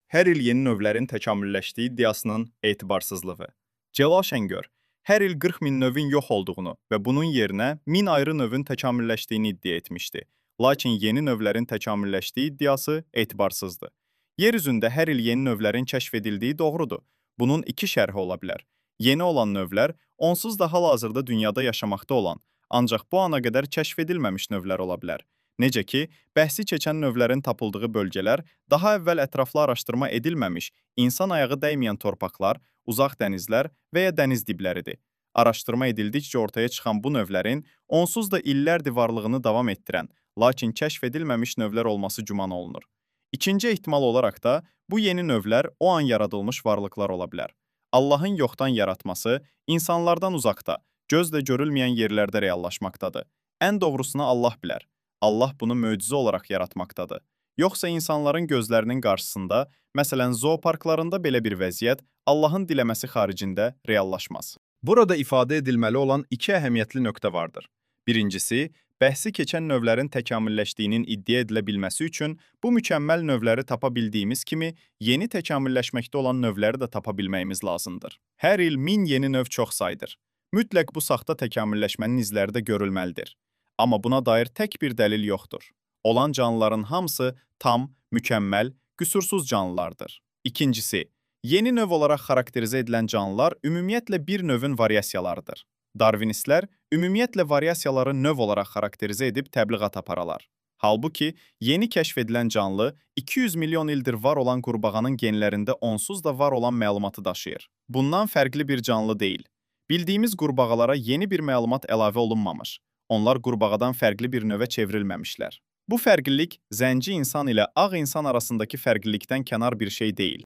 Hər il yeni növlərin təkamülləşdiyi iddiasının etibarsızlığı. Celal Şəngör hər il 40 min növün yox olduğunu və bunun yerinə 1000 ayrı növün təkamülləşdiyini iddia etmişdi. Lakin yeni növlərin təkamülləşdiyi iddiası etibarsızdır. Yer üzündə hər il yeni növlərin kəşf edildiyi doğrudur. Bunun iki şərhi ola bilər. Yeni olan növlər onsuz da hal-hazırda dünyada yaşamaqda olan, ancaq bu ana qədər kəşf edilməmiş növlər ola bilər. Necə ki, bəhsi keçən növlərin tapıldığı bölgələr daha əvvəl ətraflı araşdırma edilməmiş, insan ayağı dəyməyən torpaqlar, uzaq dənizlər və ya dəniz dibləridir. Araşdırma edildikcə ortaya çıxan bu növlərin onsuz da illərdir varlığını davam etdirən, lakin kəşf edilməmiş növlər olması güman olunur. İkinci ehtimal olaraq da bu yeni növlər o an yaradılmış varlıqlar ola bilər. Allahın yoxdan yaratması insanlardan uzaqda, gözlə görülməyən yerlərdə reallaşmaqdadır. Ən doğrusunu Allah bilər. Allah bunu möcüzə olaraq yaratmaqdadır. Yoxsa insanların gözlərinin qarşısında, məsələn, zooparklarında belə bir vəziyyət Allahın diləməsi xaricində reallaşmaz. Burada ifadə edilməli olan iki əhəmiyyətli nöqtə vardır. Birincisi, bəhsi keçən növlərin təkamülləşdiyinin iddia edilə bilməsi üçün bu mükəmməl növləri tapa bildiyimiz kimi, yeni təkamülləşməkdə olan növləri də tapa bilməyimiz lazımdır. Hər il 1000 yeni növ çox saydır. Mütləq bu saxta təkamülləşmənin izləri də görülməlidir. Amma buna dair tək bir dəlil yoxdur. Olan canlıların hamısı tam, mükəmməl, qüsursuz canlılardır. İkincisi, yeni növ olaraq xarakterizə edilən canlılar ümumiyyətlə bir növün variasiyalarıdır. Darwinistlər ümumiyyətlə variasiyaları növ olaraq xarakterizə edib təbliğat aparalar. Halbuki, yeni kəşf edilən canlı 200 milyon ildir var olan qurbağanın genlərində onsuz da var olan məlumatı daşıyır. Bundan fərqli bir canlı deyil. Bildiyimiz qurbağalara yeni bir məlumat əlavə olunmamış. Onlar qurbağadan fərqli bir növə çevrilməmişlər. Bu fərqlilik zənci insan ilə ağ insan arasındakı fərqlilikdən kənar bir şey deyil.